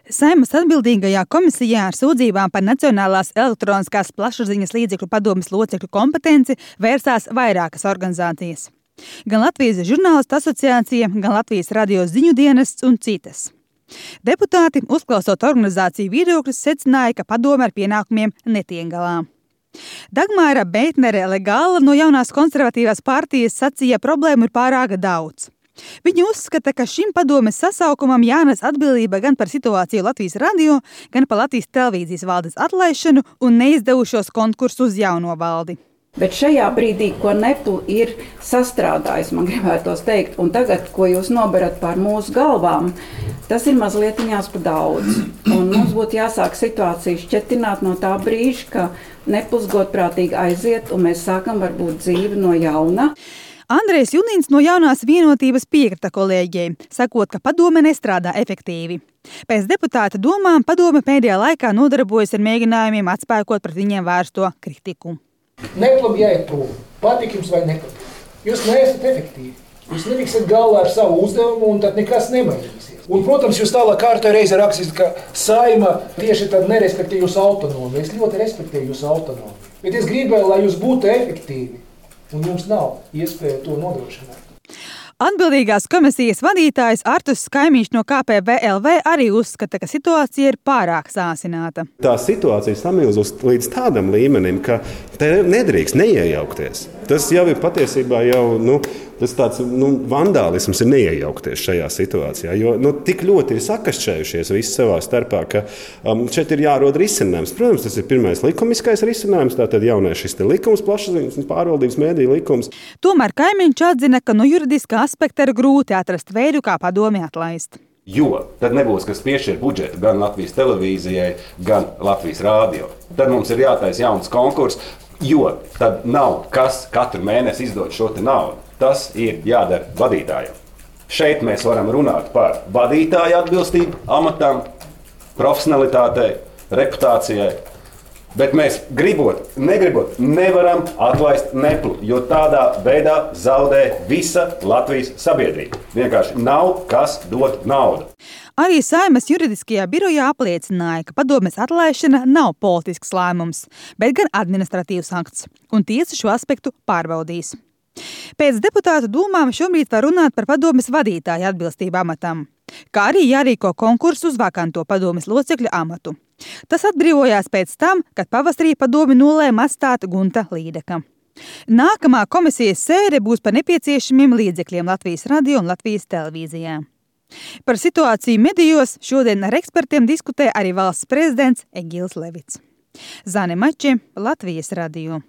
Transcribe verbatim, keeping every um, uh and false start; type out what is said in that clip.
Saeimas atbildīgajā komisijā ar sūdzībām par Nacionālās elektroniskās plašsaziņas līdzekļu padomes locekļu kompetenci vērsās vairākas organizācijas. Gan Latvijas žurnālistu asociācija, gan Latvijas radio ziņu dienests un citas. Deputāti, uzklausot organizāciju viedokļus, secināja, ka padome ar pienākumiem netiek galā. Dagmāra Beitnere-Legāla no jaunās konservatīvās partijas sacīja, problēmu ir pārāk daudz. Viņa uzskata, ka šim padomes sasaukumam jānes atbildība gan par situāciju Latvijas radio, gan par Latvijas televīzijas valdes atlaišanu un neizdevušos konkursu uz jauno valdi. Bet šajā brīdī, ko Nepl ir sastrādājis, man gribētos teikt, un tagad, ko jūs noberat pār mūsu galvām, tas ir mazlietiņās pa daudz. Un mums būtu jāsāk situāciju šķetināt no tā brīža, ka Nepls godprātīgi aiziet, un mēs sākam varbūt dzīvi no jauna. Andrejs Junīns no jaunās vienotības piekrita kolēģiem, sakot, ka padome nestrādā efektīvi. Pēc deputāta domām padome pēdējā laikā nodarbojas ar mēģinājumiem atspēkot pret viņiem vērsto kritiku. Neplam jāiet prom, patīk jums vai nepatīk. Jūs neesat efektīvi. Jūs netiksiet galā ar savu uzdevumu un tad nekas nemainīsies. Un, protams, jūs tālāk kārtā reize rakstīt, ka Saeima tieši tad nerespektē jūsu autonomiju. Es ļoti respektēju jūsu autonomiju. Bet es gribēju, lai jūs būtu efektīvi. Un jums nav iespēja to nodrošināt. Atbildīgās komisijas vadītājs Artus Skaimiņš no K P V L V arī uzskata, ka situācija ir pārāk sāsināta. Tā situācija samilzus līdz tādam līmenim, ka te nedrīkst neiejaukties. Tas jau ir patiesībā jau, nu, tas tāds nu, vandālisms ir neiejaukties šajā situācijā, jo nu, tik ļoti ir sakašķējušies visi savā starpā, ka um, šeit ir jārod risinājums. Protams, tas ir pirmais likumiskais risinājums, tātad jaunais šis te likums, plašsaziņas pārvaldības mēdīju likums. Tomēr Kaimiņš atzina, ka no juridiskā aspekta ir grūti atrast veidu, kā padomi atlaist. Jo tad nebūs, kas piešķir budžetu gan Latvijas televīzijai, gan Latvijas rādio. Tad mums ir jātaisa jauns konkurss, jo tad nav kas katru mēnesi izdod šo te naudu. Tas ir jādara vadītājiem. Šeit mēs varam runāt par vadītāju atbilstību amatam, profesionalitātei, reputācijai, bet mēs gribot, negribot, nevaram atlaist Neplu, jo tādā veidā zaudē visa Latvijas sabiedrība. Vienkārši nav kas dot naudu. Arī Saeimas juridiskajā birojā apliecināja, ka padomes atlaišana nav politisks lēmums, bet gan administratīvs akts, un tiesa šo aspektu pārbaudīs. Pēc deputātu domām šobrīd var runāt par padomes vadītāju atbilstību amatam, kā arī jārīko konkursu uz vakanto padomes locekļu amatu. Tas atbrīvojās pēc tam, kad pavasarī padomi nolēma atstāt Gunta Līdeka. Nākamā komisijas sēde būs par nepieciešamiem līdzekļiem Latvijas radio un Latvijas televīzijā. Par situāciju medijos šodien ar ekspertiem diskutē arī valsts prezidents Egils Levits. Zane Mači, Latvijas radio.